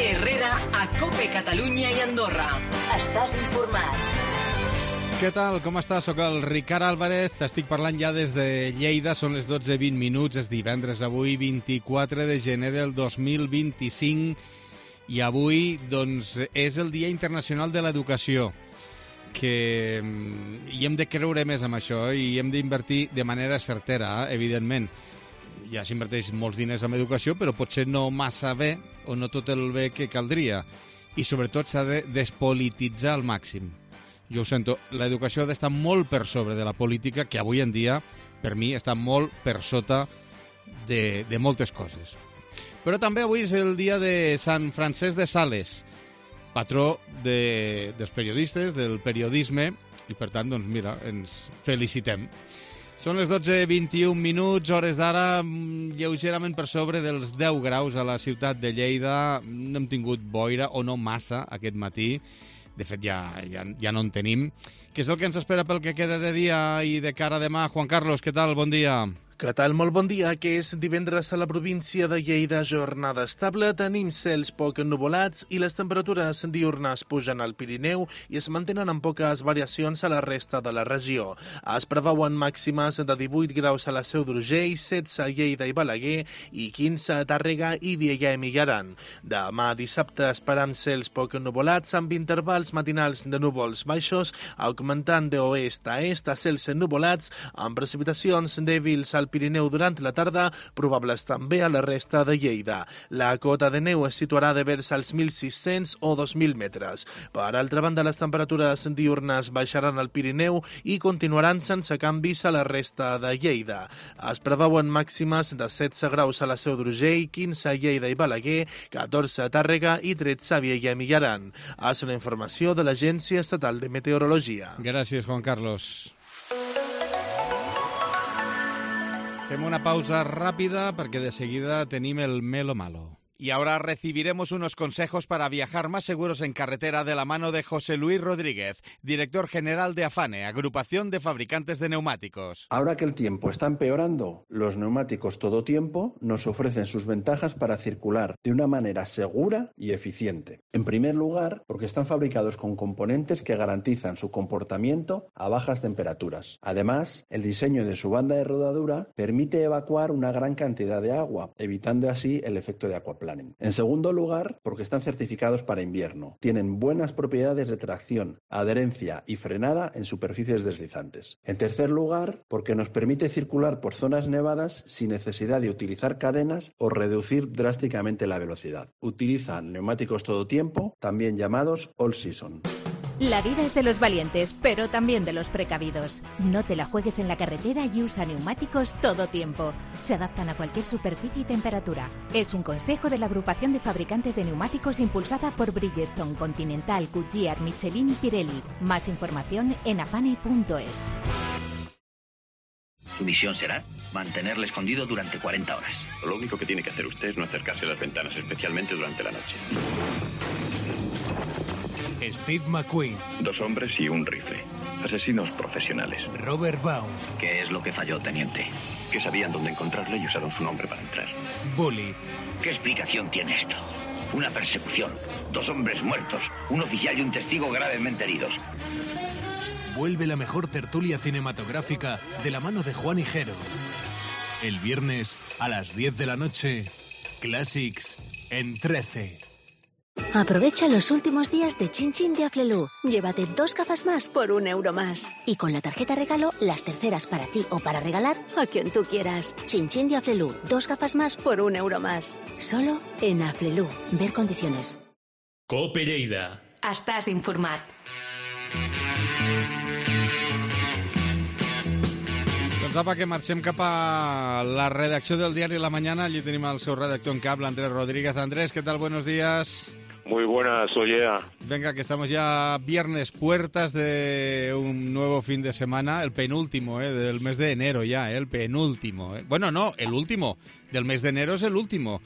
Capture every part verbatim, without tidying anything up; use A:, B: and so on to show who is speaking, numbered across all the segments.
A: Herrera a COPE Catalunya i Andorra. Estàs informat.
B: Què tal? Com estàs? Soc el Ricard Álvarez. Estic parlant ja des de Lleida. Són les dotze i vint minuts. És divendres avui, vint-i-quatre de gener del dos mil vint-i-cinc. I avui, doncs, és el Dia Internacional de l'Educació, que hi hem de creure més en això i hem d'invertir de manera certera, evidentment. Ja s'inverteix molts diners en educació, però potser no massa bé o no tot el bé que caldria. I sobretot s'ha de despolititzar al màxim. Jo ho sento, l'educació ha d'estar molt per sobre de la política, que avui en dia, per mi, està molt per sota de, de moltes coses. Però també avui és el dia de Sant Francesc de Sales, patró de, dels periodistes, del periodisme, i per tant, doncs mira, ens felicitem. Són les dotze i vint-i-un minuts, hores d'ara, lleugerament per sobre dels deu graus a la ciutat de Lleida. No hem tingut boira, o no massa, aquest matí. De fet, ja, ja, ja no en tenim. Què és el que ens espera pel que queda de dia i de cara a demà? Juan Carlos, què tal? Bon dia.
C: Què tal? Molt bon dia, que és divendres a la província de Lleida, jornada estable, tenim cels poc ennuvolats i les temperatures diurnes pugen al Pirineu i es mantenen amb poques variacions a la resta de la regió. Es preveuen màximes de divuit graus a la Seu d'Urgell, setze a Lleida i Balaguer i quinze a Tàrrega i Vielha i Mijaran. Demà dissabte esperam cels poc ennuvolats amb intervals matinals de núvols baixos, augmentant d'oest a est a cels ennuvolats amb precipitacions dèbils al Pirineu durant la tarda, probables també a la resta de Lleida. La cota de neu es situarà de vers als mil sis-cents o dos mil metres. Per altra banda, les temperatures diurnes baixaran al Pirineu i continuaran sense canvis a la resta de Lleida. Es preveuen màximes de setze graus a la Seu d'Urgell, quinze a Lleida i Balaguer, catorze a Tàrrega i tretze a Vielha i Mijaran. És una informació de l'Agència Estatal de Meteorologia.
B: Gràcies, Juan Carlos. Fem una pausa rápida porque de seguida tenim el Melo Malo. Y ahora recibiremos unos consejos para viajar más seguros en carretera de la mano de José Luis Rodríguez, director general de AFANE, Agrupación de Fabricantes de Neumáticos.
D: Ahora que el tiempo está empeorando, los neumáticos todo tiempo nos ofrecen sus ventajas para circular de una manera segura y eficiente. En primer lugar, porque están fabricados con componentes que garantizan su comportamiento a bajas temperaturas. Además, el diseño de su banda de rodadura permite evacuar una gran cantidad de agua, evitando así el efecto de aquaplaning. En segundo lugar, porque están certificados para invierno. Tienen buenas propiedades de tracción, adherencia y frenada en superficies deslizantes. En tercer lugar, porque nos permite circular por zonas nevadas sin necesidad de utilizar cadenas o reducir drásticamente la velocidad. Utilizan neumáticos todo tiempo, también llamados all season.
E: La vida es de los valientes, pero también de los precavidos. No te la juegues en la carretera y usa neumáticos todo tiempo. Se adaptan a cualquier superficie y temperatura. Es un consejo de la Agrupación de Fabricantes de Neumáticos impulsada por Bridgestone, Continental, Goodyear, Michelin y Pirelli. Más información en afane punto es.
F: Su misión será mantenerle escondido durante cuarenta horas.
G: Lo único que tiene que hacer usted es no acercarse a las ventanas, especialmente durante la noche.
H: Steve McQueen.
G: Dos hombres y un rifle. Asesinos profesionales.
H: Robert Baum.
F: ¿Qué es lo que falló, teniente?
G: Que sabían dónde encontrarle y usaron su nombre para entrar.
H: Bullet.
F: ¿Qué explicación tiene esto? Una persecución. Dos hombres muertos. Un oficial y un testigo gravemente heridos.
H: Vuelve la mejor tertulia cinematográfica de la mano de Juan Higuero. El viernes a las diez de la noche, Classics en trece.
I: Aprovecha los últimos días de Chin Chin de Aflelu. Llévate dos gafas más por un euro más. Y con la tarjeta regalo, las terceras para ti o para regalar a quien tú quieras. Chin Chin de Aflelu. Dos gafas más por un euro más. Solo en Aflelu. Ver condiciones.
J: COPE Lleida.
E: Estàs informat.
B: Doncs apa, que marxem cap a la redacció del diari La Mañana. Allí tenim el seu redactor en cap, l'Andrés Rodríguez. Andrés, ¿qué tal? Buenos días.
K: Muy buenas, oye.
B: Venga, que estamos ya viernes, puertas de un nuevo fin de semana, el penúltimo, ¿eh? Del mes de enero ya, ¿eh? El penúltimo. ¿eh? Bueno, no, el último. Del mes de enero es el último.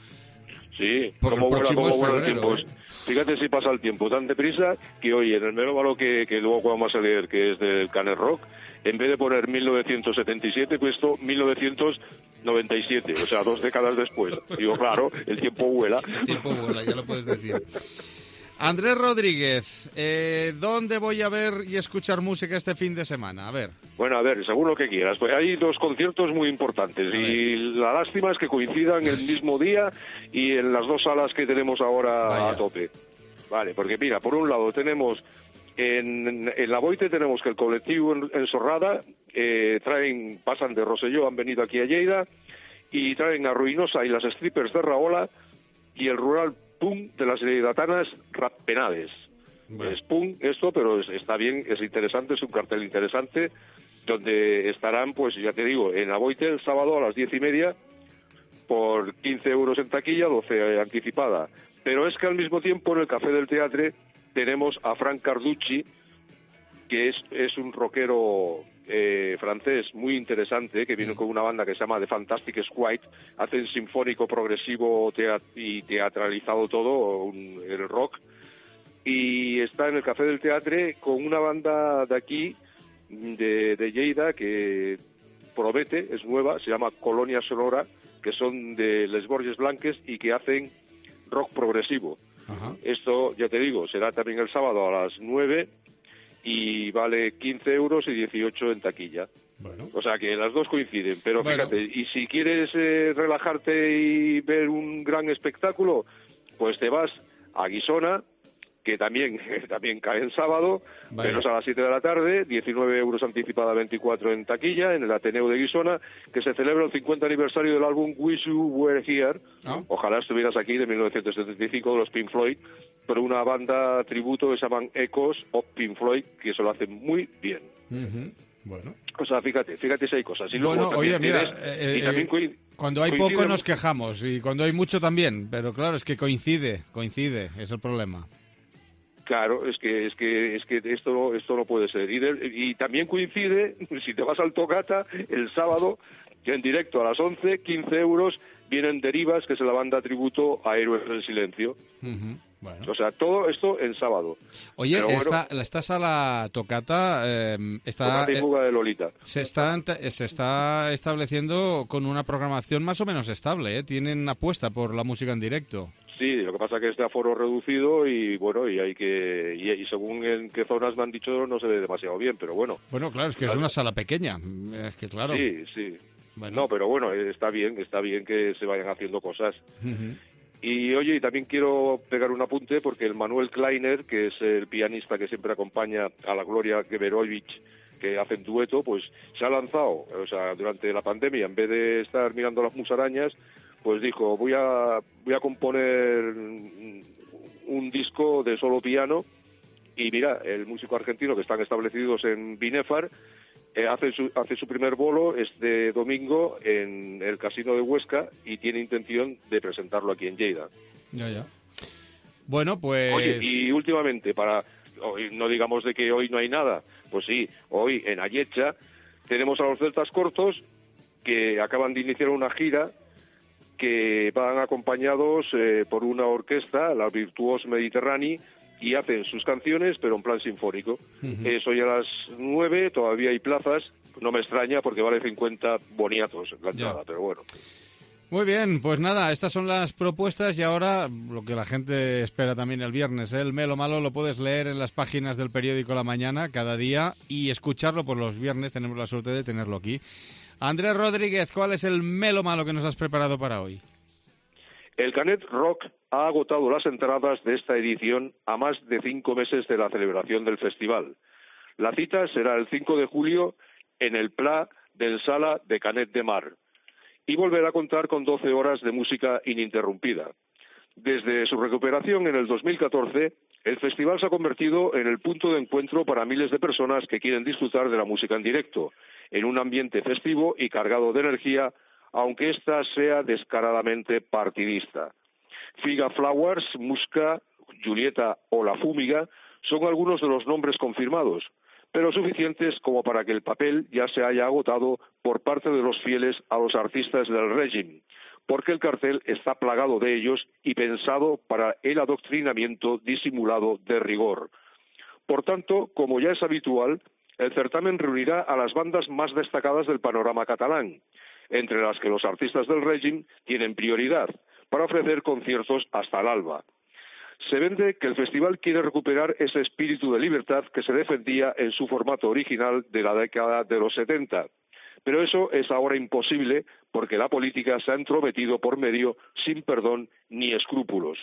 K: Sí,
B: Por
K: como
B: el
K: vuela,
B: próximo
K: como
B: es
K: vuela el
B: febrero,
K: tiempo.
B: ¿eh?
K: Fíjate si pasa el tiempo tan deprisa que hoy en el melómano que, que luego vamos a leer, que es del Canet Rock, en vez de poner mil novecientos setenta y siete, he puesto mil novecientos noventa y siete, o sea, dos décadas después. Digo, claro, el tiempo vuela.
B: El tiempo vuela, ya lo puedes decir. Andrés Rodríguez, eh, ¿dónde voy a ver y escuchar música este fin de semana? A ver.
K: Bueno, a ver, según lo que quieras. Pues hay dos conciertos muy importantes y la lástima es que coincidan el mismo día y en las dos salas que tenemos ahora Vaya. a tope. Vale, porque mira, por un lado tenemos en, en La Boite tenemos que el colectivo en, en Sorrada eh, traen, pasan de Rosselló, han venido aquí a Lleida y traen a Ruinosa y las strippers de Raola y el rural punk de las leidatanas Rappenades. Bueno. Es punk esto, pero es, está bien, es interesante, es un cartel interesante, donde estarán, pues ya te digo, en Aboite el sábado a las diez y media por quince euros en taquilla, doce anticipada. Pero es que al mismo tiempo en el Café del Teatre tenemos a Frank Carducci, que es, es un rockero eh, francés muy interesante, que viene con una banda que se llama The Fantastic Squid, hacen sinfónico, progresivo teat y teatralizado todo, un, el rock, y está en el Café del Teatre con una banda de aquí, de, de Lleida, que promete, es nueva, se llama Colonia Sonora, que son de Les Borges Blanques y que hacen rock progresivo. Ajá. Esto, ya te digo, será también el sábado a las nueve y vale quince euros y dieciocho en taquilla. Bueno. O sea que las dos coinciden, pero bueno. Fíjate, y si quieres eh, relajarte y ver un gran espectáculo, pues te vas a Guisona, que también, también cae en sábado, Vaya. menos a las siete de la tarde, diecinueve euros anticipada, veinticuatro en taquilla, en el Ateneo de Guisona, que se celebra el cincuenta aniversario del álbum Wish You Were Here. ¿Oh? Ojalá estuvieras aquí, de mil novecientos setenta y cinco, de los Pink Floyd, pero una banda tributo que se llaman Echoes of Pink Floyd, que eso lo hacen muy bien.
B: Uh-huh. Bueno.
K: O sea, fíjate, fíjate si hay cosas. Y
B: bueno, oye, mira,
K: tienes,
B: eh,
K: y también
B: eh, cuando hay
K: coincide...
B: poco nos quejamos, y cuando hay mucho también, pero claro, es que coincide, coincide, es el problema.
K: Claro, es que es que es que esto esto no puede ser. Y, de, y también coincide, si te vas al Tocata, el sábado, que en directo a las once, quince euros, vienen Derivas, que es la banda tributo a Héroes del Silencio.
B: Uh-huh. Bueno.
K: O sea, todo esto en sábado.
B: Oye,
K: bueno,
B: esta, esta sala Tocata eh, está,
K: y fuga de Lolita.
B: Se está, se está estableciendo con una programación más o menos estable, ¿eh? Tienen apuesta por la música en directo.
K: Sí, lo que pasa es que es de aforo reducido y bueno, y hay que y, y según en qué zonas me han dicho no se ve demasiado bien, pero bueno.
B: Bueno, claro, es que claro. es una sala pequeña, es que claro.
K: Sí, sí. Bueno. No, pero bueno, está bien, está bien que se vayan haciendo cosas.
B: Uh-huh.
K: Y oye, y también quiero pegar un apunte porque el Manuel Kleiner, que es el pianista que siempre acompaña a la Gloria Geberovich, que hacen dueto, pues se ha lanzado, o sea, durante la pandemia, en vez de estar mirando las musarañas, pues dijo, voy a voy a componer un disco de solo piano, y mira, el músico argentino que están establecidos en Binefar, eh, hace su hace su primer bolo este domingo en el Casino de Huesca y tiene intención de presentarlo aquí en Lleida.
B: Ya, ya. Bueno, pues...
K: Oye, y últimamente, para hoy, no digamos de que hoy no hay nada, pues sí, hoy en Ayecha tenemos a los Celtas Cortos, que acaban de iniciar una gira que van acompañados eh, por una orquesta, la Virtuos Mediterránea, y hacen sus canciones, pero en plan sinfónico. Uh-huh. Eso ya a las nueve, todavía hay plazas, no me extraña porque vale cincuenta boniatos la entrada, ya. Pero bueno.
B: Muy bien, pues nada, estas son las propuestas y ahora lo que la gente espera también el viernes, ¿eh? El Melo Malo lo puedes leer en las páginas del periódico La Mañana cada día y escucharlo por los viernes, tenemos la suerte de tenerlo aquí. Andrés Rodríguez, ¿cuál es el Melo Malo que nos has preparado para hoy?
K: El Canet Rock ha agotado las entradas de esta edición a más de cinco meses de la celebración del festival. La cita será el cinco de julio en el Pla del Sala de Canet de Mar y volverá a contar con doce horas de música ininterrumpida. Desde su recuperación en el dos mil catorce, el festival se ha convertido en el punto de encuentro para miles de personas que quieren disfrutar de la música en directo, en un ambiente festivo y cargado de energía, aunque ésta sea descaradamente partidista. Figa Flowers, Musca, Julieta o La Fúmiga son algunos de los nombres confirmados, pero suficientes como para que el papel ya se haya agotado por parte de los fieles a los artistas del régimen, porque el cartel está plagado de ellos y pensado para el adoctrinamiento disimulado de rigor. Por tanto, como ya es habitual, el certamen reunirá a las bandas más destacadas del panorama catalán. entre las que los artistas del régimen tienen prioridad, para ofrecer conciertos hasta el alba. Se vende que el festival quiere recuperar ese espíritu de libertad que se defendía en su formato original de la década de los setenta. Pero eso es ahora imposible porque la política se ha entrometido por medio sin perdón ni escrúpulos.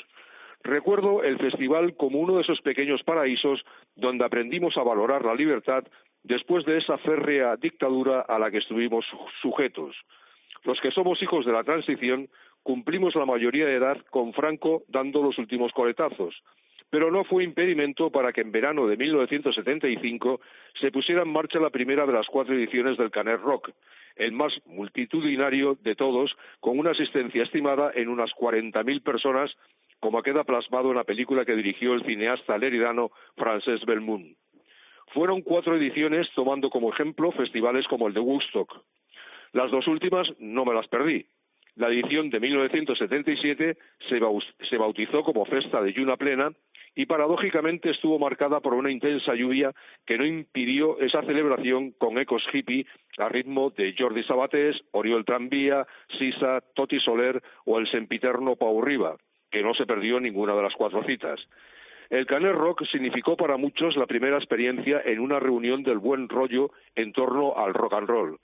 K: Recuerdo el festival como uno de esos pequeños paraísos donde aprendimos a valorar la libertad después de esa férrea dictadura a la que estuvimos sujetos. Los que somos hijos de la transición cumplimos la mayoría de edad con Franco dando los últimos coletazos, pero no fue impedimento para que en verano de mil novecientos setenta y cinco se pusiera en marcha la primera de las cuatro ediciones del Canet Rock, el más multitudinario de todos, con una asistencia estimada en unas cuarenta mil personas, como queda plasmado en la película que dirigió el cineasta leridano Francesc Belmunt. Fueron cuatro ediciones tomando como ejemplo festivales como el de Woodstock. Las dos últimas no me las perdí. La edición de mil novecientos setenta y siete se bautizó como Festa de Lluna Plena y paradójicamente estuvo marcada por una intensa lluvia que no impidió esa celebración con ecos hippie a ritmo de Jordi Sabatés, Oriol Tranvía, Sisa, Toti Soler o el sempiterno Pau Riba, que no se perdió ninguna de las cuatro citas. El Canet Rock significó para muchos la primera experiencia en una reunión del buen rollo en torno al rock and roll.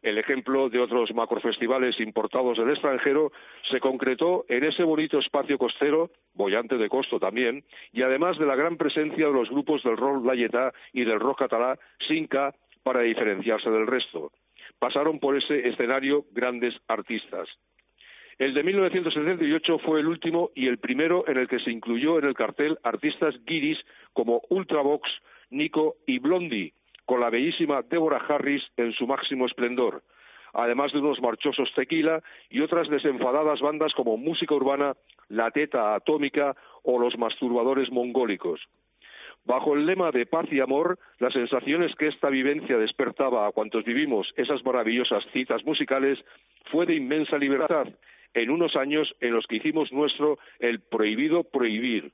K: El ejemplo de otros macrofestivales importados del extranjero se concretó en ese bonito espacio costero, boyante de costo también, y además de la gran presencia de los grupos del rock layetá y del rock catalá sin K para diferenciarse del resto. Pasaron por ese escenario grandes artistas. El de mil novecientos setenta y ocho fue el último y el primero en el que se incluyó en el cartel artistas guiris como Ultravox, Nico y Blondie, con la bellísima Deborah Harris en su máximo esplendor, además de unos marchosos Tequila y otras desenfadadas bandas como Música Urbana, La Teta Atómica o Los Masturbadores Mongólicos. Bajo el lema de paz y amor, las sensaciones que esta vivencia despertaba a cuantos vivimos esas maravillosas citas musicales fue de inmensa libertad, en unos años en los que hicimos nuestro el prohibido prohibir.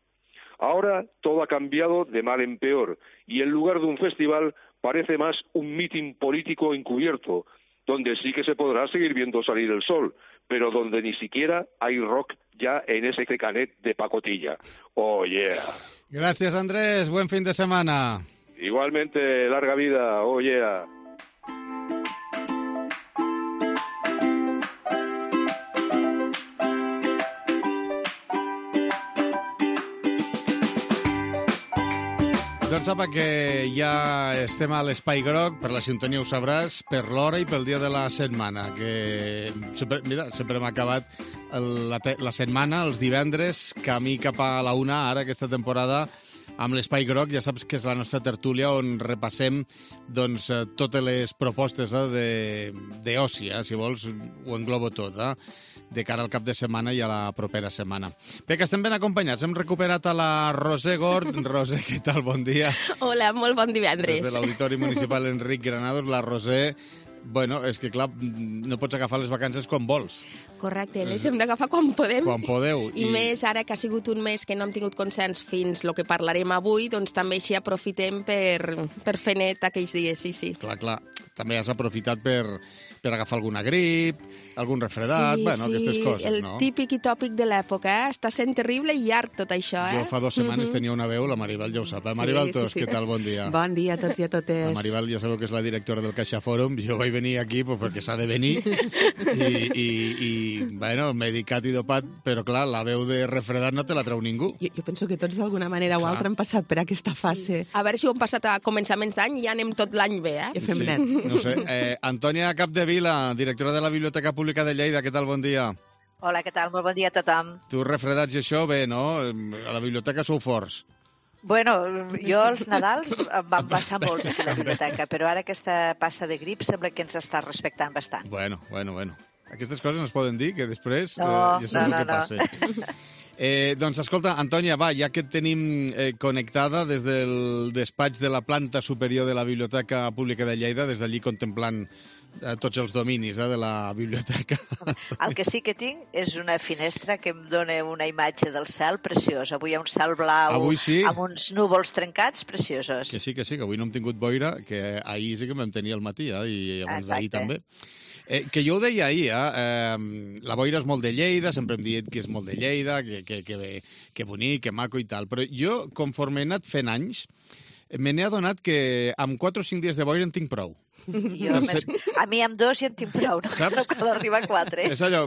K: Ahora todo ha cambiado de mal en peor y en lugar de un festival parece más un mitin político encubierto, donde sí que se podrá seguir viendo salir el sol, pero donde ni siquiera hay rock ya en ese Canet de pacotilla. Oh, yeah.
B: Gracias, Andrés. Buen fin de semana.
K: Igualmente, larga vida. Oh, yeah.
B: Doncs apa, que ja estem a l'Espai Groc, per la sintonia ho sabràs, per l'hora i pel dia de la setmana, que sempre, mira, sempre hem acabat el, la, la setmana, els divendres, camí cap a la una, ara aquesta temporada, amb l'Espai Groc. Ja saps que és la nostra tertúlia on repassem doncs, totes les propostes eh, d'oci, eh, si vols, ho englobo tot, eh? De cara al cap de setmana i a la propera setmana. Bé, que estem ben acompanyats. Hem recuperat a la Roser Gord. Roser, què tal? Bon dia.
L: Hola, molt bon divendres.
B: Des de l'Auditori Municipal Enric Granados, la Roser... Bueno, és que, clar, no pots agafar les vacances quan vols.
L: Correcte, les hem d'agafar quan podem.
B: Quan podeu.
L: I, I més ara que ha sigut un mes que no hem tingut consens fins el que parlarem avui, doncs també així aprofitem per, per fer net aquells dies, sí, sí.
B: Clar, clar. També has aprofitat per, per agafar alguna grip, algun refredat,
L: sí,
B: bueno,
L: sí,
B: aquestes coses,
L: el
B: no?
L: El típic i tòpic de l'època, eh? Està sent terrible i llarg tot això, eh?
B: Jo fa dues setmanes mm-hmm. tenia una veu, la Maribel ja ho sap. Eh? Maribel
M: sí,
B: Tos, sí, sí. Què tal? Bon dia.
M: Bon dia a tots i a totes.
B: La Maribel ja sabeu que és la directora del Caixa Fòrum. Jo vaig venir aquí pues, perquè s'ha de venir i, i, i bueno, medicat i dopat, però clar, la veu de refredat no te la treu ningú.
M: Jo, jo penso que tots d'alguna manera o altra han passat per aquesta fase.
L: Sí. A veure si ho hem passat a començaments d'any i ja anem tot l'any bé, eh?
M: Ja fem
B: sí.
M: net.
B: No sé. Eh, Antònia Capdevila, directora de la Biblioteca Pública de Lleida, què tal? Bon dia.
N: Hola, què tal? Molt bon dia a tothom.
B: Tu refredats i això, bé, no? A la biblioteca sou forts.
N: Bueno, jo els Nadals em van passar molts a la biblioteca, però ara aquesta passa de grip sembla que ens està respectant bastant.
B: Bueno, bueno, bueno. Aquestes coses no es poden dir, que després
N: no,
B: eh, ja saps
N: no, no,
B: el que passa. Eh, doncs escolta, Antònia, va, ja que et tenim eh, connectada des del despatx de la planta superior de la Biblioteca Pública de Lleida, des d'allí contemplant a tots els dominis eh, de la biblioteca.
N: El que sí que tinc és una finestra que em dona una imatge del cel preciós. Avui hi ha un cel blau
B: avui sí.
N: amb uns núvols trencats preciosos.
B: Que sí, que sí, que avui no hem tingut boira, que ahir sí que vam tenir al matí, eh, i abans d'ahir també. Eh, que jo ho deia ahir, eh? eh, la boira és molt de Lleida, sempre hem dit que és molt de Lleida, que, que, que, que bonic, que maco i tal, però jo, conforme he anat fent anys, me n'he adonat que amb quatre o cinc dies de boira en tinc prou.
N: Jo, més, a mi amb dos ja en tinc prou, no, no cal arribar a quatre.
B: És allò,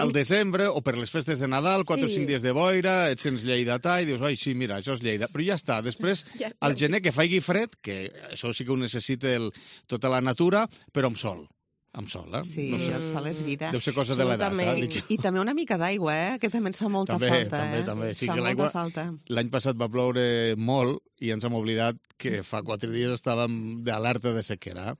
B: al desembre o per les festes de Nadal, quatre o
N: Sí.
B: cinc dies de boira, et sents lleidatà i dius, ai, sí, mira, això és Lleida. Però ja està, després,
L: Ja.
B: al gener que faigui fred, que això sí que ho necessita el, tota la natura, però amb sol. Amb sol, eh?
M: Sí,
B: no sé.
M: el sol és vida.
B: Deu ser cosa de l'edat, eh?
M: I, I també una mica d'aigua, eh? Que també ens fa molta
B: També,
M: falta,
B: també,
M: eh?
B: també. Sí
M: Fa
B: que
M: molta
B: l'aigua-
M: falta.
B: L'any passat va ploure molt i ens hem oblidat que fa quatre dies estàvem d'alerta de sequera.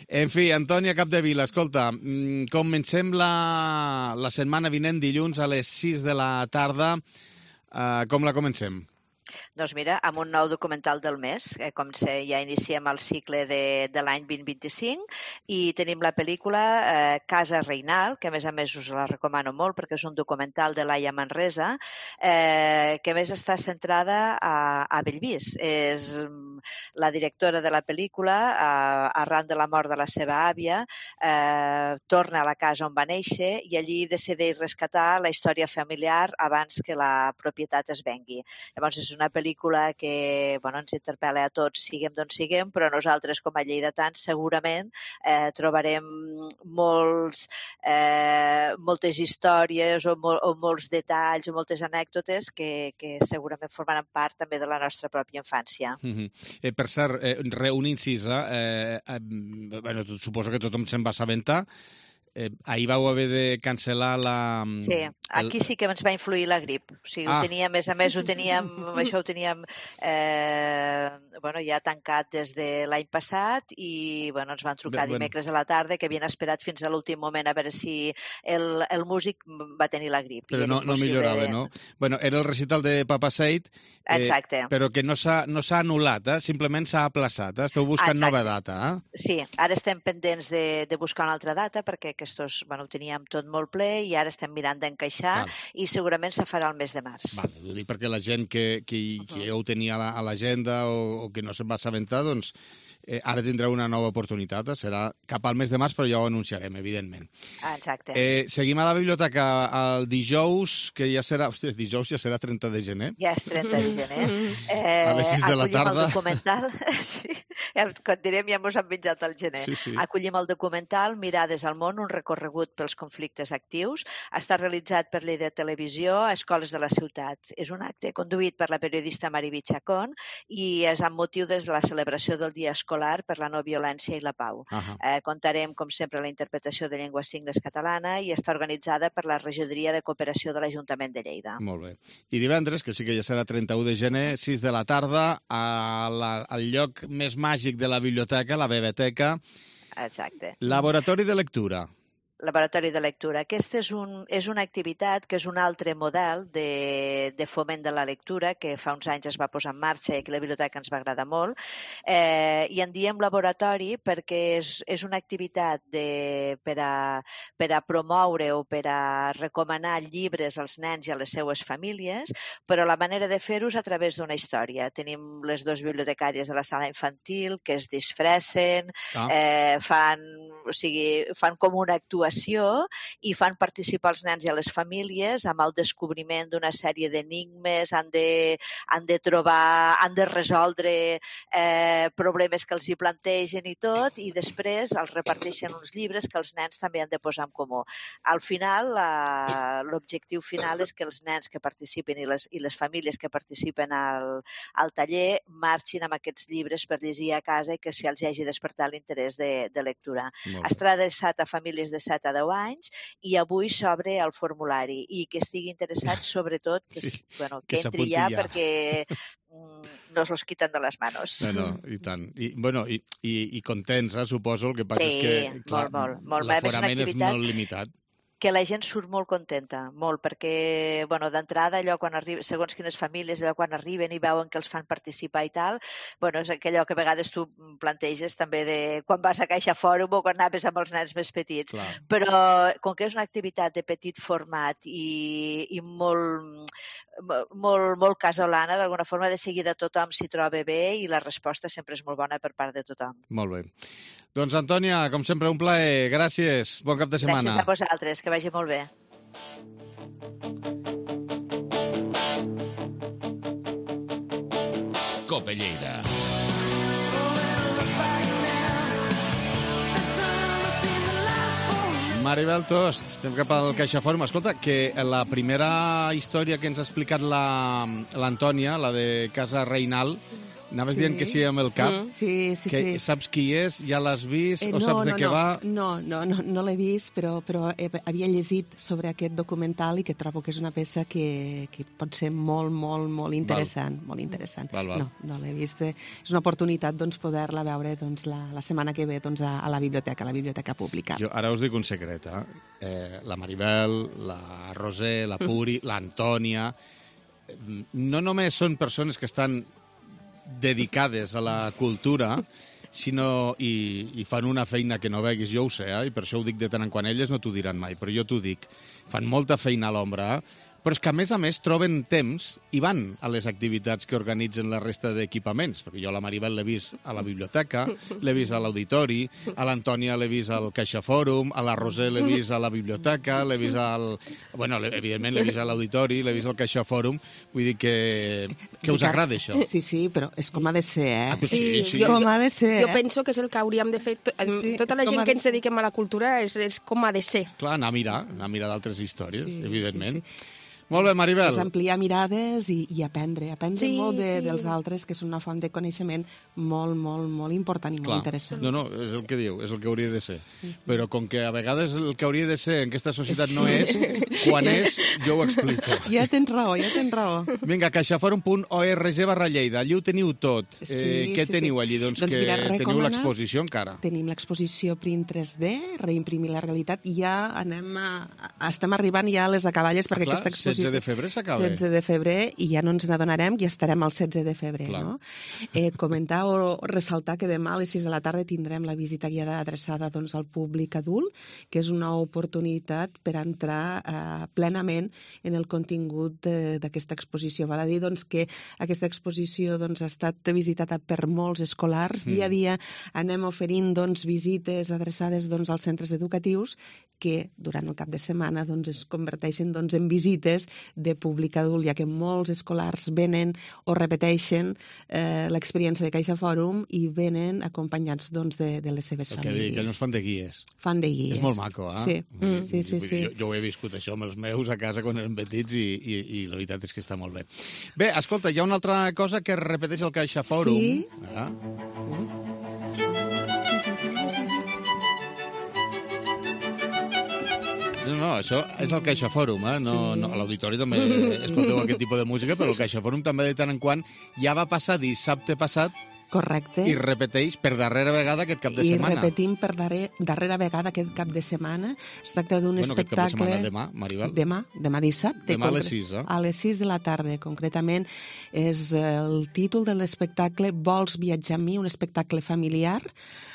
B: En fi, Antònia Capdevila, escolta, mm, comencem la, la setmana vinent, dilluns a les sis de la tarda. Uh, com la comencem?
N: Doncs mira, amb un nou documental del mes, eh, com sé, ja iniciem el cicle de, de l'any vint vint-i-cinc i tenim la pel·lícula eh, Casa Reinal, que a més a més us la recomano molt perquè és un documental de Laia Manresa, eh, que a més està centrada a, a Bellvís. És mm, la directora de la pel·lícula, eh, arran de la mort de la seva àvia, eh, torna a la casa on va néixer i allí decideix rescatar la història familiar abans que la propietat es vengui. Llavors és una pel·lícula que bueno, ens interpel·la a tots, siguem d'on siguem, però nosaltres com a lleidatans segurament eh, trobarem molts, eh, moltes històries o, mol, o molts detalls o moltes anècdotes que, que segurament formaran part també de la nostra pròpia infància.
B: Mm-hmm. eh, per cert, eh, re, un incís, eh, eh, bueno, suposo que tothom se'n va assabentar. Eh, ahir vau haver de cancel·lar la...
N: Sí, aquí sí que ens va influir la grip. O sigui,
B: Ah.
N: ho teníem, a més a més, ho teníem, això ho teníem eh, bueno, ja tancat des de l'any passat i bueno, ens van trucar
B: Bé, bueno.
N: dimecres a la tarda que havien esperat fins a l'últim moment a veure si el, el músic va tenir la grip.
B: Però
N: I era
B: no, no
N: impossible
B: millorava,
N: de-
B: no? Bueno, era el recital de Papa Seid, eh,
N: Exacte.
B: però que no s'ha no s'ha anul·lat, eh? Simplement s'ha aplaçat. Eh? Esteu buscant
N: Exacte.
B: nova data, eh?
N: Sí, ara estem pendents de, de buscar una altra data perquè aquests, bueno, ho teníem tot molt ple i ara estem mirant d'encaixar
B: Val.
N: i segurament se farà el mes de març.
B: Vale, ho dic perquè la gent que, que, que ja ho tenia a la- a l'agenda o, o que no se'n va assabentar, doncs eh, ara tindrà una nova oportunitat. Eh? Serà cap al mes de març, però ja ho anunciarem, evidentment.
N: Ah, exacte.
B: Eh, seguim a la biblioteca el dijous, que ja serà... Hòstia, dijous ja serà trenta de gener.
N: Ja és trenta de gener. Eh,
B: A les sis de la
N: acollim
B: tarda.
N: El documental. Sí. Quan direm ja mos han menjat al gener.
B: Sí, sí.
N: Acollim el documental Mirades al món, un recorregut pels conflictes actius. Està realitzat per Lleida Televisió a Escoles de la Ciutat. És un acte conduït per la periodista Mariby Chacón i és amb motiu des de la celebració del Dia Escolar per la no violència i la pau.
B: Ahà.
N: Eh, contarem, com sempre, la interpretació de llengua signes catalana i està organitzada per la Regidoria de Cooperació de l'Ajuntament de Lleida.
B: Molt bé. I divendres, que sí que ja serà trenta-u de gener, sis de la tarda, a la, al lloc més màgic de la biblioteca, la Bebeteca,
N: Exacte.
B: Laboratori de Lectura.
N: Laboratori de lectura. Aquesta és, un, és una activitat que és un altre model de, de foment de la lectura que fa uns anys es va posar en marxa i que la biblioteca ens va agradar molt. Eh, I en diem laboratori perquè és, és una activitat de, per, a, per a promoure o per a recomanar llibres als nens i a les seues famílies, però la manera de fer-ho és a través d'una història. Tenim les dues bibliotecàries de la sala infantil que es disfressen,
B: Ah.
N: eh, fan, o sigui, fan com una actuació i fan participar els nens i a les famílies amb el descobriment d'una sèrie d'enigmes, han de, han de trobar, han de resoldre eh, problemes que els hi plantegen i tot, i després els reparteixen uns llibres que els nens també han de posar en comú. Al final, la- l'objectiu final és que els nens que participen i les, i les famílies que participen al, al taller marxin amb aquests llibres per llegir a casa i que si els hagi despertat l'interès de, de lectura.
B: Molt bé.
N: Estarà adreçat a famílies de set a deu anys i avui s'obre el formulari i que estigui interessat sobretot que,
B: Sí,
N: bueno,
B: que
N: que entri
B: s'apunti
N: ja,
B: ja.
N: perquè mm, nos los quitan de les manos.
B: No, no, i tant. I, bueno, i, i, i contents, eh, suposo. El que passa
N: Sí,
B: és que, clar,
N: molt, molt, molt. A més, és una
B: l'aforament és
N: activitat-
B: molt limitat.
N: que la gent surt molt contenta, molt, perquè, bueno, d'entrada, allò quan arriba, segons quines famílies, allò quan arriben i veuen que els fan participar i tal, bueno, és allò que a vegades tu planteges també de quan vas a Caixa Fòrum o quan anaves amb els nens més petits.
B: Clar.
N: Però com que és una activitat de petit format i, i molt, molt, molt casolana, d'alguna forma de seguida tothom s'hi troba bé i la resposta sempre és molt bona per part de tothom.
B: Molt bé. Doncs, Antònia, com sempre, un plaer. Gràcies. Bon cap de setmana.
N: Gràcies a vosaltres. Que vagi molt bé.
O: Cope Lleida.
B: Maribel Tost, estem cap al CaixaForum. Escolta, que la primera història que ens ha explicat l'Antònia, la, la de Casa Reinal, sí. Anaves sí. dient que sí amb el cap.
M: Mm. Sí, sí,
B: que
M: sí.
B: Saps qui és? Ja l'has vist?
M: Eh,
B: o
M: no,
B: saps de
M: no,
B: què
M: no.
B: va?
M: No, no, no, no l'he vist, però, però havia llegit sobre aquest documental i que trobo que és una peça que, que pot ser molt, molt, molt interessant. Val. Molt interessant.
B: Val, val.
M: No, no l'he vist. És una oportunitat doncs, poder-la veure doncs, la, la setmana que ve doncs, a, a la biblioteca, a la biblioteca pública.
B: Jo ara us dic un secret, eh? eh la Maribel, la Roser, la Puri, mm. l'Antònia... No només són persones que estan dedicades a la cultura, sinó i, i fan una feina que no veguis, jo ho sé, eh? I per això ho dic de tant en quan. Elles no t'ho diran mai, però jo t'ho dic. Fan molta feina a l'ombra, eh? Però és que, a més a més, troben temps i van a les activitats que organitzen la resta d'equipaments, perquè jo a la Maribel l'he vist a la biblioteca, l'he vist a l'auditori, a l'Antònia l'he vist al CaixaForum, a la Roser l'he vist a la biblioteca, l'he vist al... Bueno, evidentment l'he vist a l'auditori, l'he vist al CaixaForum, vull dir que, que us agrada això.
M: Sí, sí, però és com ha de ser, eh?
B: Ah, sí, sí, sí.
L: Jo,
M: com ha de ser,
L: jo penso que és el que hauríem de fer. To
M: sí, sí,
L: tota la gent que ens
M: ser.
L: dediquem a la cultura és, és com ha de ser.
B: Clar, anar a mirar, anar a mirar d'altres històries,
M: Sí,
B: evidentment.
M: sí, sí.
B: Molt bé, Maribel.
M: És ampliar mirades i, i aprendre. Aprendre
L: Sí,
M: molt de,
L: sí.
M: dels altres, que és una font de coneixement molt, molt, molt important i
B: Clar.
M: molt interessant.
B: No, no, és el que diu, és el que hauria de ser. Però com que a vegades el que hauria de ser en aquesta societat no és, quan és, jo ho explico.
M: Ja tens raó, ja tens raó.
B: Vinga, caixaforum punt org barra Lleida, allí ho teniu tot.
M: Sí,
B: eh, què
M: sí,
B: teniu
M: sí.
B: allí? Doncs,
M: Doncs
B: que
M: mira,
B: teniu
M: recomana-
B: l'exposició encara.
M: Tenim l'exposició Print tres D, Reimprimir la realitat, i ja anem a, a, estem arribant ja a les acaballes perquè
B: Ah, clar,
M: aquesta exposició...
B: setze de febrer s'acaba.
M: setze de febrer, i ja no ens n'adonarem, i estarem al setze de febrer,
B: Clar.
M: no? Eh, comentar o ressaltar que demà a les sis de la tarda tindrem la visita guiada adreçada doncs, al públic adult, que és una oportunitat per entrar eh, plenament en el contingut d'aquesta exposició. Val a dir doncs, que aquesta exposició doncs, ha estat visitada per molts escolars. Mm. Dia a dia anem oferint doncs, visites adreçades doncs, als centres educatius que durant el cap de setmana doncs, es converteixen doncs, en visites de públic adult, ja que molts escolars venen o repeteixen eh, l'experiència de CaixaForum i venen acompanyats doncs, de, de les seves
B: El que
M: famílies.
B: dic, que no es fan de guies.
M: Fan de guies.
B: És molt maco, eh?
M: Sí, mm. sí, sí. sí.
B: Jo, jo ho he viscut, això, amb els meus a casa quan eren petits i, i, i la veritat és que està molt bé. Bé, escolta, hi ha una altra cosa que repeteix el CaixaForum.
M: Sí.
B: Ah. No, no, això és el CaixaForum, eh? No,
M: Sí.
B: no, a l'auditori també escolteu aquest tipus de música, però el CaixaForum també de tant en quant ja va passar dissabte passat
M: Correcte.
B: i repeteix per darrera vegada aquest cap de
M: I
B: setmana.
M: repetim per darrer, darrera vegada aquest cap de setmana. Es tracta d'un
B: Bueno, aquest cap de
M: espectacle...
B: setmana, demà, Maribel.
M: Demà, demà dissabte.
B: Demà a les
M: concre-
B: sis, eh?
M: A les sis de la tarda, concretament. És el títol de l'espectacle Vols viatjar amb mi? Un espectacle familiar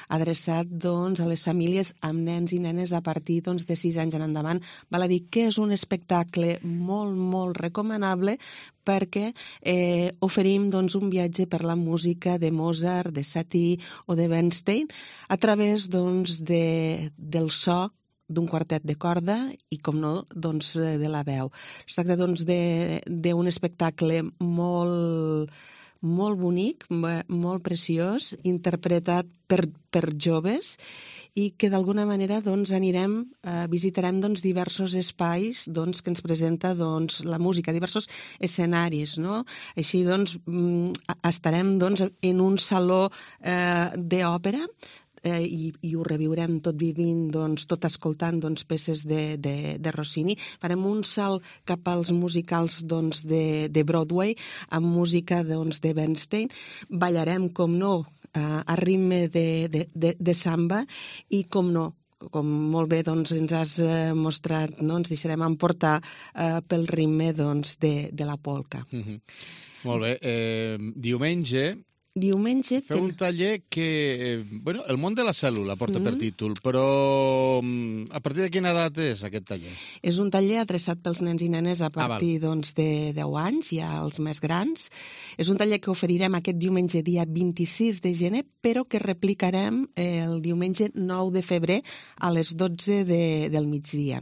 M: adreçat doncs, a les famílies amb nens i nenes a partir doncs, de sis anys en endavant. Val a dir que és un espectacle molt, molt recomanable perquè eh, oferim doncs, un viatge per la música de Mozart, de Satie o de Bernstein a través doncs, de, del so d'un quartet de corda i, com no, doncs, de la veu. Es tracta doncs, d'un espectacle molt, molt bonic, molt preciós, interpretat per, per joves i que d'alguna manera doncs, anirem, eh, visitarem doncs, diversos espais doncs, que ens presenta doncs, la música, diversos escenaris. No? Així doncs, estarem doncs, en un saló eh, d'òpera eh, i, i ho reviurem tot vivint, doncs, tot escoltant doncs, peces de, de, de Rossini. Farem un salt cap als musicals doncs, de, de Broadway amb música doncs, de Bernstein. Ballarem, com no, a ritme de, de, de, de samba i, com no, com molt bé doncs, ens has eh, mostrat, no? Ens deixarem emportar eh, pel ritme doncs, de, de la polca.
B: Mm-hmm. Molt bé. Eh, diumenge...
M: Diumenge...
B: Feu ten... un taller que... Eh, bueno, el món de la cèl·lula porta mm. per títol, però a partir de quina edat és aquest taller?
M: És un taller adreçat pels nens i nenes a partir ah, doncs, de deu anys, ja els més grans. És un taller que oferirem aquest diumenge dia vint-i-sis de gener, però que replicarem el diumenge nou de febrer a les dotze de, del migdia.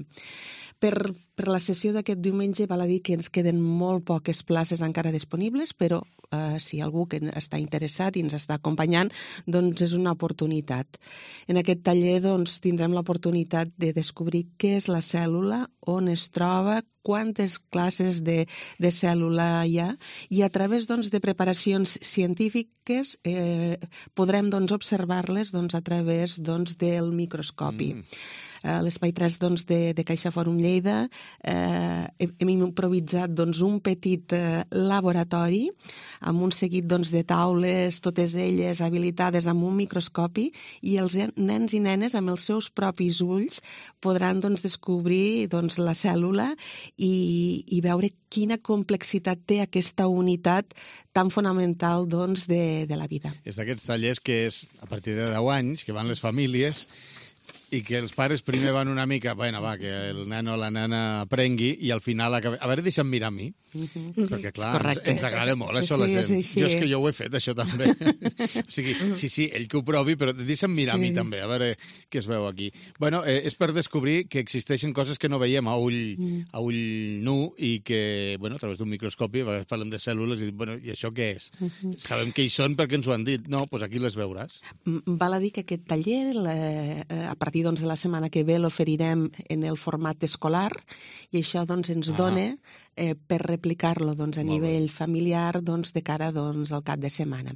M: Per, per la sessió d'aquest diumenge val a dir que ens queden molt poques places encara disponibles, però eh, si algú que està interessat i ens està acompanyant, doncs és una oportunitat. En aquest taller doncs, tindrem l'oportunitat de descobrir què és la cèl·lula, on es troba, quantes classes de, de cèl·lula hi ha, i a través doncs, de preparacions científiques eh, podrem doncs, observar-les doncs, a través doncs, del microscopi. Mm. Eh, L'Espai tres doncs, de, de Caixa Fòrum Lleida eh, hem improvisat doncs, un petit eh, laboratori amb un seguit doncs, de taules, totes elles habilitades amb un microscopi, i els nens i nenes amb els seus propis ulls podran doncs, descobrir doncs, la cèl·lula i, i veure quina complexitat té aquesta unitat tan fonamental doncs, de, de la vida.
B: És d'aquests tallers que és a partir de deu anys, que van les famílies, i que els pares primer van una mica, bueno, va, que el nen o la nena aprengui, i al final acaba... A veure, deixa'm mirar a mi, uh-huh. perquè clar, ens, ens agrada molt, sí, això, sí, la gent. Sí, sí. Jo és que jo ho he fet, això també. O sigui, sí, sí, ell que ho provi, però deixa'm mirar sí. a mi també, a veure què es veu aquí. Bueno, eh, és per descobrir que existeixen coses que no veiem a ull, mm. a ull nu, i que, bueno, a través d'un microscopi, a vegades parlem de cèl·lules, i dic, bueno, i això què és? Uh-huh. Sabem què hi són perquè ens ho han dit. No, doncs aquí les veuràs.
M: Val a dir que aquest taller, la, a partir doncs, de la setmana que ve l'oferirem en el format escolar, i això doncs, ens ah. dona eh, per replicar-lo doncs, a Molt nivell bé. familiar doncs, de cara doncs, al cap de setmana.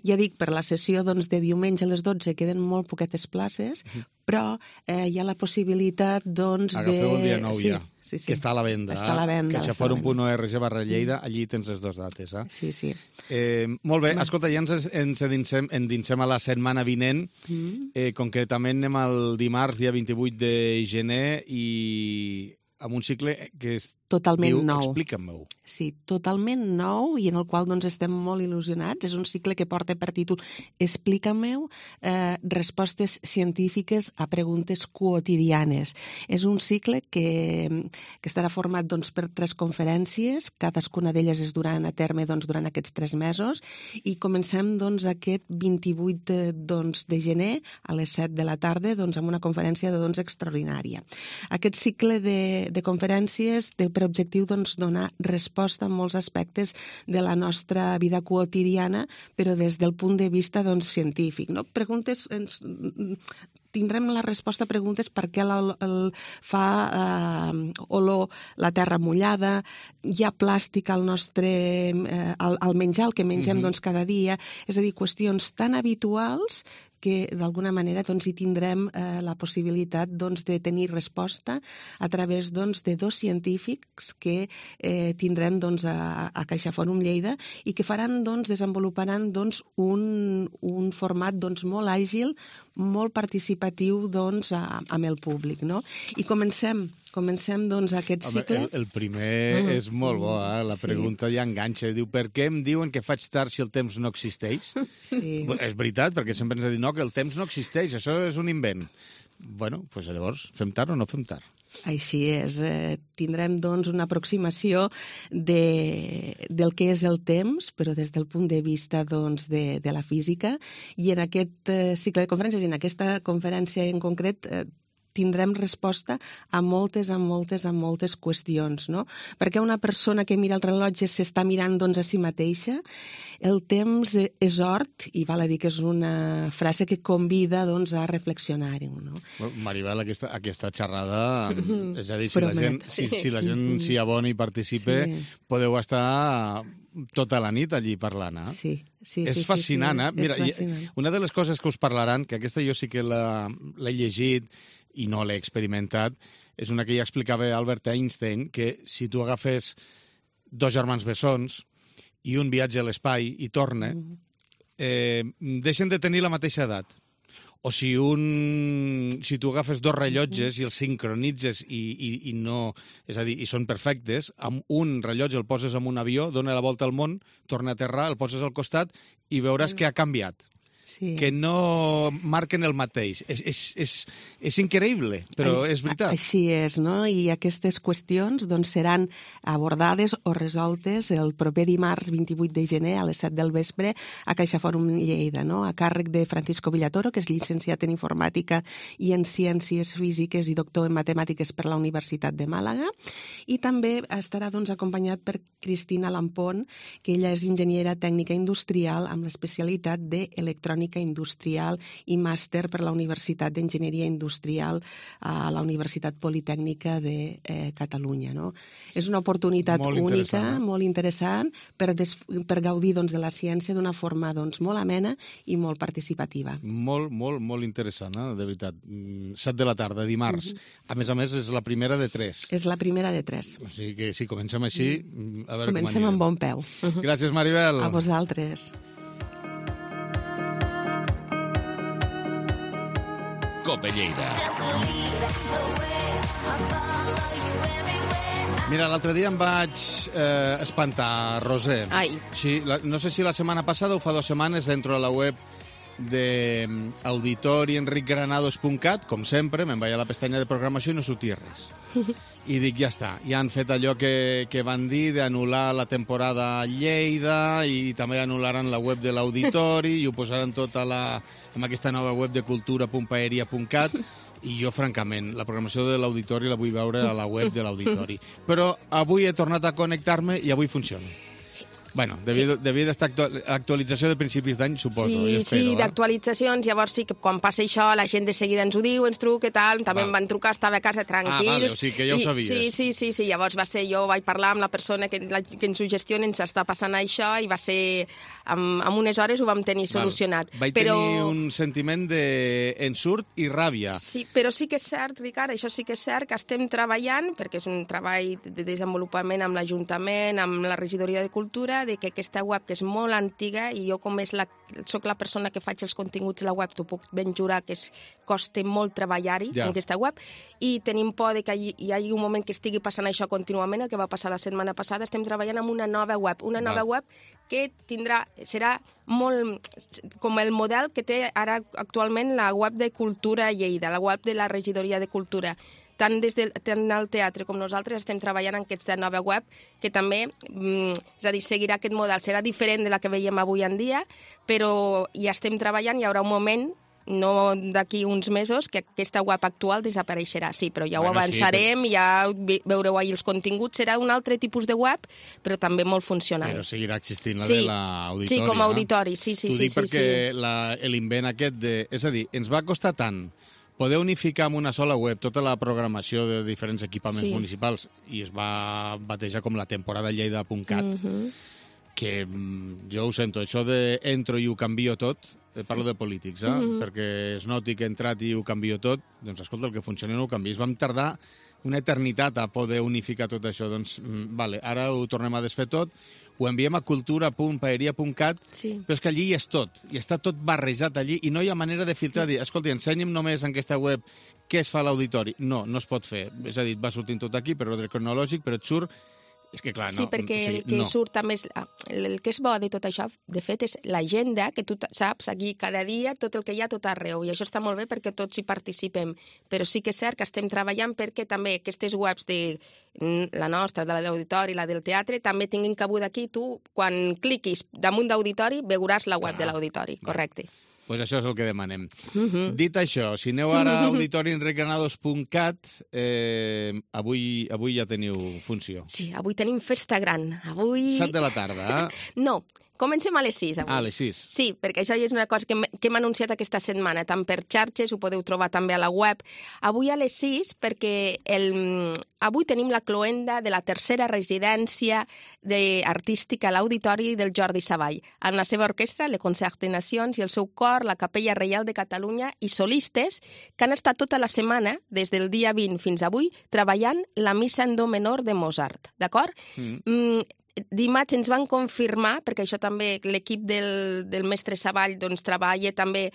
M: Ja dic, per la sessió doncs, de diumenge a les dotze queden molt poquetes places, uh-huh. però eh, hi ha la possibilitat doncs,
B: Agafeu
M: de...
B: el dia nou
M: sí,
B: ja,
M: sí, sí.
B: que està a la venda.
M: Està a la venda.
B: caixaforum punt org barra Lleida, allí tens les dues dates. Eh?
M: Sí, sí.
B: Eh, molt bé, escolta, ja ens, ens endinsem, endinsem a la setmana vinent. Mm. Eh, concretament anem al dimarts, dia vint-i-vuit de gener, i amb un cicle que es
M: totalment
B: diu,
M: nou.
B: Explica'm-ho.
M: Sí, totalment nou, i en el qual doncs, estem molt il·lusionats. És un cicle que porta per títol Explica-m'ho, eh, respostes científiques a preguntes quotidianes. És un cicle que, que estarà format doncs, per tres conferències, cadascuna d'elles es duran a terme doncs, durant aquests tres mesos, i comencem doncs, aquest vint-i-vuit de, doncs, de gener a les set de la tarda doncs, amb una conferència de, doncs, extraordinària. Aquest cicle de, de conferències té per objectiu doncs, donar resposta a molts aspectes de la nostra vida quotidiana, però des del punt de vista doncs, científic. No? Preguntes, ens, tindrem la resposta a preguntes per què el, el, fa eh, olor la terra mullada, hi ha plàstic al nostre eh, al, al menjar, el que mengem mm-hmm. doncs, cada dia, és a dir, qüestions tan habituals que d'alguna manera doncs, hi tindrem eh, la possibilitat doncs, de tenir resposta a través doncs, de dos científics que eh, tindrem doncs, a, a Caixa Fòrum Lleida, i que faran, doncs, desenvoluparan doncs, un, un format doncs, molt àgil, molt participatiu doncs, a, amb el públic. No? I comencem Comencem, doncs, aquest
B: Home,
M: cicle.
B: El, el primer mm. és molt bo, eh? La pregunta sí. ja enganxa. Diu, per què em diuen que faig tard si el temps no existeix?
M: Sí.
B: És veritat, perquè sempre ens ha dit, no, que el temps no existeix, això és un invent. Bueno, doncs llavors, fem tard o no fem tard?
M: Així és. Eh, tindrem, doncs, una aproximació de, del que és el temps, però des del punt de vista doncs, de, de la física, i en aquest eh, cicle de conferències, i en aquesta conferència en concret, eh, tindrem resposta a moltes, a moltes, a moltes qüestions, no? Perquè una persona que mira el rellotge s'està mirant doncs, a si mateixa. El temps és hort, i val a dir que és una frase que convida doncs, a reflexionar-ho. No?
B: Maribel, aquesta, aquesta xerrada, és a dir, si la gent, si, si la gent s'hi abona i participa, sí. podeu estar tota la nit allí parlant. Eh?
M: Sí, sí,
B: és
M: sí,
B: fascinant,
M: sí,
B: eh? Mira,
M: és fascinant.
B: Una de les coses que us parlaran, que aquesta jo sí que l'he llegit i no l'he experimentat, és una que ja explicava Albert Einstein, que si tu agafes dos germans bessons i un viatge a l'espai i torna, eh, deixen de tenir la mateixa edat. O si un... si tu agafes dos rellotges i els sincronitzes i, i, i no... És a dir, i són perfectes, amb un rellotge el poses en un avió, dona la volta al món, torna a aterrar, el poses al costat i veuràs que ha canviat.
M: Sí.
B: Que no marquen el mateix. És, és, és, és increïble, però és veritat.
M: Així és, no? I aquestes qüestions doncs, seran abordades o resoltes el proper dimarts vint-i-vuit de gener a les set del vespre a CaixaForum Lleida, no? A càrrec de Francisco Villatoro, que és llicenciat en Informàtica i en Ciències Físiques i doctor en Matemàtiques per la Universitat de Màlaga. I també estarà doncs, acompanyat per Cristina Lampón, que ella és enginyera tècnica industrial amb l'especialitat d'electrònica industrial i màster per la Universitat d'Enginyeria Industrial a la Universitat Politècnica de eh, Catalunya. No? És una oportunitat
B: molt
M: única,
B: interessant,
M: molt interessant, per, des, per gaudir doncs, de la ciència d'una forma doncs, molt amena i molt participativa.
B: Molt, molt, molt interessant, eh? De veritat. set de la tarda, dimarts. Uh-huh. A més a més, és la primera de tres.
M: És la primera de tres.
B: O sigui que si comencem així, a veure
M: Comencem
B: com
M: amb bon peu.
B: Uh-huh. Gràcies, Maribel.
M: A vosaltres.
O: Cope Lleida.
B: Mira, l'altre dia em vaig eh, espantar, Roser.
L: Ai.
B: Sí, la, no sé si la setmana passada o fa dues setmanes entro a la web de auditori enric granados punt cat, com sempre, me'n vaig a la pestanya de programació i no sortia res. I dic, ja està, ja han fet allò que, que van dir d'anul·lar la temporada a Lleida i també anul·laran la web de l'auditori i ho posaran tot a la, amb aquesta nova web de cultura punt paeria punt cat i jo, francament, la programació de l'auditori la vull veure a la web de l'auditori. Però avui he tornat a connectar-me i avui funciona. Bueno, devia, sí. devia d'estar actual, actualització de principis d'any, suposo.
L: Sí,
B: espero,
L: sí,
B: eh?
L: d'actualitzacions. Llavors sí que quan passa això, la gent de seguida ens ho diu, ens truca i tal. També
B: Val.
L: em van trucar, estava a casa tranquils.
B: Ah, vale, o sigui que ja ho sabies.
L: I, sí, sí, sí, sí. Llavors va ser, jo vaig parlar amb la persona que, la, que ens ho gestiona, ens està passant això, i va ser, amb, amb unes hores ho vam tenir solucionat.
B: Val. Vaig
L: però...
B: tenir un sentiment d'ensurt i ràbia.
L: Sí, però sí que és cert, Ricard, això sí que és cert, que estem treballant, perquè és un treball de desenvolupament amb l'Ajuntament, amb la Regidoria de Cultura, de que aquesta web, que és molt antiga, i jo com és la, soc la persona que faig els continguts de la web, t'ho puc ben jurar que es costa molt treballar-hi
B: ja.
L: en aquesta web, i tenim por de que hi, hi hagi un moment que estigui passant això contínuament, el que va passar la setmana passada. Estem treballant amb una nova web, una nova
B: Va.
L: web que tindrà, serà molt com el model que té ara actualment la web de Cultura Lleida, la web de la Regidoria de Cultura. Tant des del, tant el teatre com nosaltres estem treballant en aquesta nova web, que també, mm, és a dir, seguirà aquest model. Serà diferent de la que veiem avui en dia, però hi estem treballant, hi haurà un moment, no d'aquí uns mesos, que aquesta web actual desapareixerà. Sí, però ja ho
B: bueno,
L: avançarem,
B: sí, però...
L: ja veureu ahí els continguts. Serà un altre tipus de web, però també molt funcional.
B: Però seguirà existint la
L: sí.
B: de l'auditori.
L: Sí, com a auditori, sí, sí,
B: T'ho
L: sí.
B: dic
L: sí,
B: perquè
L: sí.
B: l'invent aquest de... És a dir, ens va costar tant poder unificar en una sola web tota la programació de diferents equipaments
L: sí.
B: municipals i es va batejar com la temporada lleida punt cat,
L: Mm-hmm.
B: que jo ho sento, això de entro i ho canvio tot, parlo de polítics, eh?
L: Mm-hmm.
B: perquè es noti que he entrat i ho canvio tot, doncs escolta, el que funciona no ho canviïs. Vam tardar una eternitat a poder unificar tot això. Doncs, vale, ara ho tornem a desfer tot, ho enviem a cultura punt paeria punt cat,
L: sí.
B: però és que allí hi és tot, i està tot barrejat allí, i no hi ha manera de filtrar, dir, escolta, ensenya'm només en aquesta web què es fa a l'auditori. No, no es pot fer. És a dir, va sortint tot aquí per ordre cronològic, però et surt... És que, clar, no...
L: Sí, perquè
B: o sigui,
L: el que
B: no.
L: surt també... És, el que és bo de tot això, de fet, és l'agenda, que tu saps aquí cada dia tot el que hi ha tot arreu, i això està molt bé perquè tots hi participem. Però sí que és cert que estem treballant perquè també aquestes webs de la nostra, de la d'auditori, la del teatre, també tinguin cabuda aquí. Tu, quan cliquis damunt d'auditori, veuràs la web ah, de l'auditori, correcte.
B: Doncs pues això és el que demanem.
L: Uh-huh.
B: Dit això, si aneu ara a auditori enric granados punt cat, eh, avui, avui ja teniu funció.
L: Sí, avui tenim festa gran. Avui...
B: set de la tarda, eh?
L: No, comencem a les sis avui.
B: Ah, a les sis.
L: Sí, perquè això és una cosa que hem, que hem anunciat aquesta setmana, tant per xarxes, ho podeu trobar també a la web. Avui a les sis, perquè el, avui tenim la cloenda de la tercera residència de, artística a l'Auditori del Jordi Savall, amb la seva orquestra, le Concert de Nacions, i el seu cor, la Capella Reial de Catalunya, i solistes que han estat tota la setmana, des del dia vint fins avui, treballant la missa en do menor de Mozart, d'acord? Mm. Mm, Dimarts ens van confirmar, perquè això també l'equip del, del mestre Savall doncs, treballa també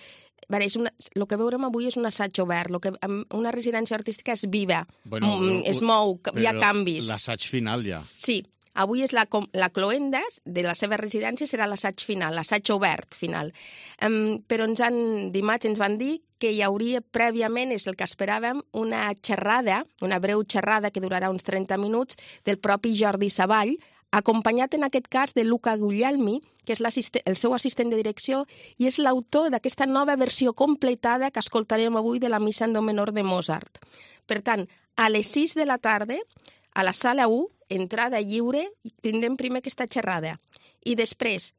L: veure, és una, el que veurem avui és un assaig obert. Lo que, una residència artística és viva,
B: bueno,
L: mm, es mou, hi ha canvis.
B: L'assaig final ja.
L: Sí, avui és la, la cloenda de la seva residència serà l'assaig final, l'assaig obert final. Um, però ens han, dimarts ens van dir que hi hauria prèviament, és el que esperàvem, una xerrada, una breu xerrada que durarà uns trenta minuts del propi Jordi Savall, acompanyat en aquest cas de Luca Guglielmi, que és el seu assistent de direcció i és l'autor d'aquesta nova versió completada que escoltarem avui de la Missa en Do menor de Mozart. Per tant, a les sis de la tarda, a la sala u, entrada lliure, tindrem primer aquesta xerrada. I després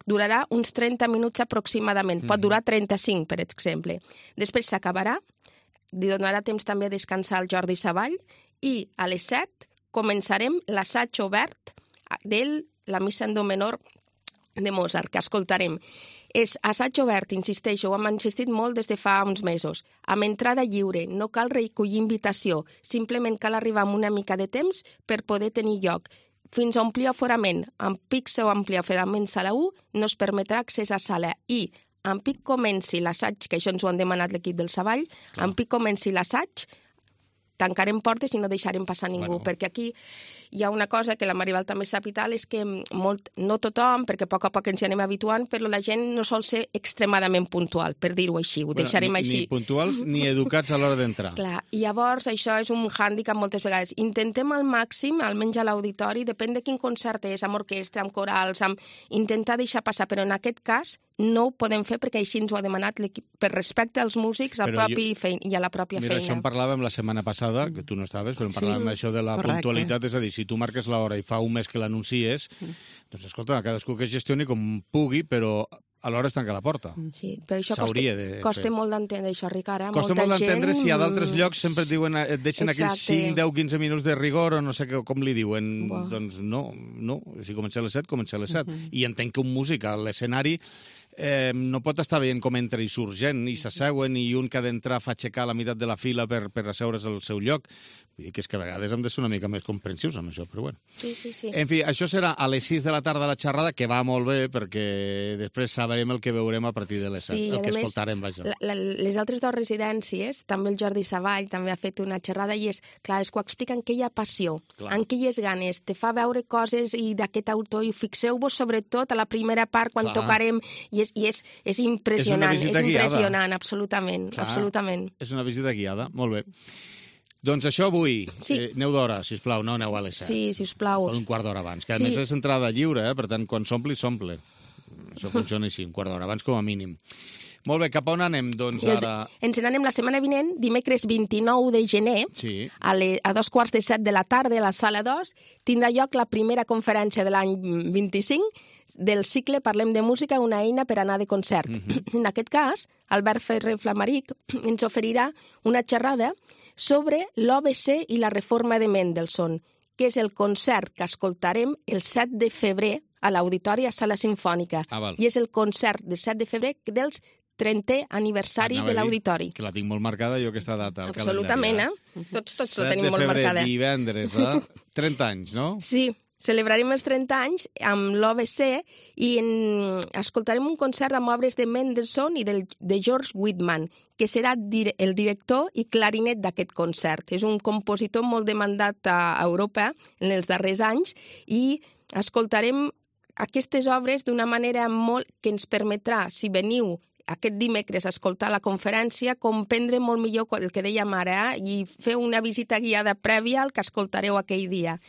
L: durarà uns trenta minuts aproximadament, pot durar trenta-cinc, per exemple. Després s'acabarà, li donarà temps també a descansar el Jordi Savall i a les set començarem l'assaig obert de la Missa en Do menor de Mozart, que escoltarem. És assaig obert, insisteixo, ho hem insistit molt des de fa uns mesos, amb entrada lliure, no cal recollir invitació, simplement cal arribar amb una mica de temps per poder tenir lloc. Fins a omplir aforament, amb pics o ampli aforament sala u, no es permetrà accés a sala i en pic comenci l'assaig, que això ens ho han demanat l'equip del Savall, en pic comenci l'assaig, tancarem portes i no deixarem passar ningú, bueno. Perquè aquí hi ha una cosa que la Maribel també sap i tal, és que molt, no tothom, perquè a poc a poc ens hi anem habituant, però la gent no sol ser extremadament puntual, per dir-ho així, ho bueno, deixarem
B: ni,
L: així.
B: Ni puntuals ni educats a l'hora d'entrar.
L: Clar, i llavors això és un hàndicap moltes vegades. Intentem al màxim, almenys a l'auditori, depèn de quin concert és, amb orquestra, amb corals, amb intentar deixar passar, però en aquest cas no ho podem fer perquè així ens ho ha demanat l'equip, per respecte als músics al propi jo... feina, i a la pròpia
B: Mira,
L: feina.
B: Mira, això en parlàvem la setmana passada, que tu no estaves, però en parlàvem sí, això de la correcte. puntualitat, és a dir, si tu marques l'hora i fa un mes que l'anuncies, mm. doncs escolta, cadascú que gestioni com pugui, però alhora es tanca la porta.
L: Sí, però això costa, costa molt d'entendre, això, Ricard. Eh?
B: Costa
L: Molta
B: molt d'entendre
L: gent...
B: si a d'altres llocs sempre et diuen, et deixen Exacte. aquells cinc, deu, quinze minuts de rigor o no sé com li diuen. Wow. Doncs no, no. Si comença a les set, comença a les set. Uh-huh. I entenc que un músic a l'escenari eh, no pot estar veient com entra i surt gent, i s'asseuen, i un que ha d'entrar fa aixecar la meitat de la fila per, per asseure's al seu lloc. Vull dir que és que a vegades hem de ser una mica més comprensius amb això, però bueno.
L: Sí, sí, sí.
B: En fi, això serà a les sis de la tarda la xerrada, que va molt bé, perquè després sabrem el que veurem a partir de les set, sí, el que escoltarem, vaja.
L: La, la, les altres dues residències, també el Jordi Savall també ha fet una xerrada, i és, clar, és que ho expliquen que hi ha passió, clar. En què hi és ganes, te fa veure coses i d'aquest autor, i fixeu-vos sobretot a la primera part quan clar. tocarem, i és, i és, és impressionant, és, és impressionant, guiada. absolutament, clar. absolutament.
B: És una visita guiada, molt bé. Doncs això avui.
L: Sí.
B: Eh, aneu d'hora, sisplau, no aneu a les set.
L: Sí, sisplau.
B: O un quart d'hora abans, que a
L: sí.
B: més és entrada lliure, eh? Per tant, quan s'ompli, s'omple. Això funciona així, un quart d'hora abans com a mínim. Molt bé, cap a on anem, doncs, ara?
L: Ens n'anem la setmana vinent, dimecres vint-i-nou de gener,
B: sí.
L: a, le, a dos quarts de set de la tarda, a la sala dos, tindrà lloc la primera conferència de l'any vint-i-cinc del cicle Parlem de música, una eina per anar de concert. Uh-huh. En aquest cas, Albert Ferrer Flamaric ens oferirà una xerrada sobre l'O B C i la reforma de Mendelssohn, que és el concert que escoltarem el set de febrer a l'Auditori a Sala Simfònica.
B: Ah,
L: I és el concert del set de febrer dels trentè aniversari
B: Anava
L: de l'Auditori.
B: Que la tinc molt marcada jo, aquesta data.
L: Absolutament, eh? Tots, tots la tenim molt marcada.
B: set de febrer, divendres, eh? trenta anys, no?
L: Sí. Celebrarem els trenta anys amb l'O B C i en... escoltarem un concert amb obres de Mendelssohn i del, de George Whitman, que serà dir el director i clarinet d'aquest concert. És un compositor molt demandat a Europa en els darrers anys i escoltarem aquestes obres d'una manera molt que ens permetrà, si veniu aquest dimecres a escoltar la conferència, comprendre molt millor el que dèiem ara, eh? I fer una visita guiada prèvia al que escoltareu aquell dia.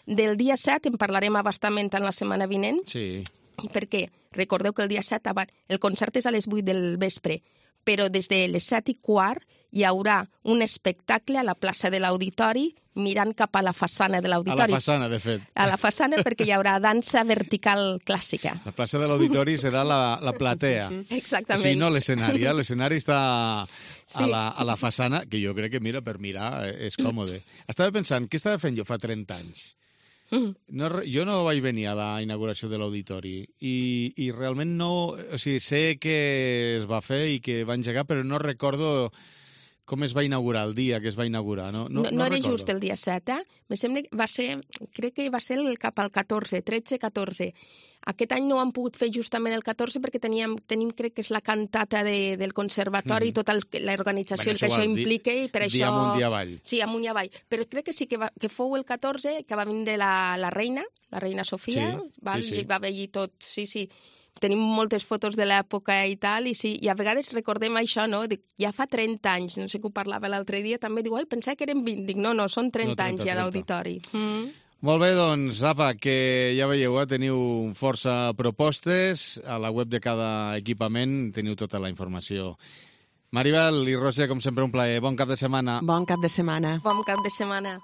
L: Del dia set en parlarem abastament en la setmana vinent.
B: Sí.
L: Perquè recordeu que el dia set el concert és a les vuit del vespre, però des de les set i quart hi haurà un espectacle a la plaça de l'Auditori mirant cap a la façana de l'Auditori.
B: A la façana, de fet.
L: A la façana, perquè hi haurà dansa vertical clàssica.
B: La plaça de l'Auditori serà la, la platea.
L: Exactament.
B: O sigui, no l'escenari, eh? L'escenari està a, sí. la, a la façana, que jo crec que, mira, per mirar és còmode. Estava pensant, què estava fent jo fa trenta anys? No, jo no vaig venir a la inauguració de l'Auditori i, i realment no... O sigui, sé que es va fer i que va engegar, però no recordo com es va inaugurar, el dia que es va inaugurar, no?
L: No, no, no, no era recordo. Just el dia set, eh? Me sembla que va ser, crec que va ser el, cap al catorze, tretze catorze. Aquest any no ho han pogut fer justament el catorze perquè teníem, tenim, crec que és la cantata de, del conservatori mm-hmm. i tota l'organització bueno, que això implica i per
B: dia
L: això...
B: Dia amunt i avall.
L: Sí, amunt i avall. Però crec que sí que, va, que fou el catorze que va vindre la, la reina, la reina Sofia, sí, val? Sí, sí. I va veure tot, sí, sí. Tenim moltes fotos de l'època i tal, i, sí, i a vegades recordem això, no? Dic, ja fa trenta anys, no sé què ho parlava l'altre dia, també diu, ai, pensava que eren vint. Dic, no, no, són trenta no, trenta, anys ja d'auditori. Mm.
B: Molt bé, doncs, apa, que ja veieu, eh? Teniu força propostes, a la web de cada equipament teniu tota la informació. Maribel i Roser, com sempre, un plaer. Bon cap de setmana.
M: Bon cap de setmana.
L: Bon cap de setmana.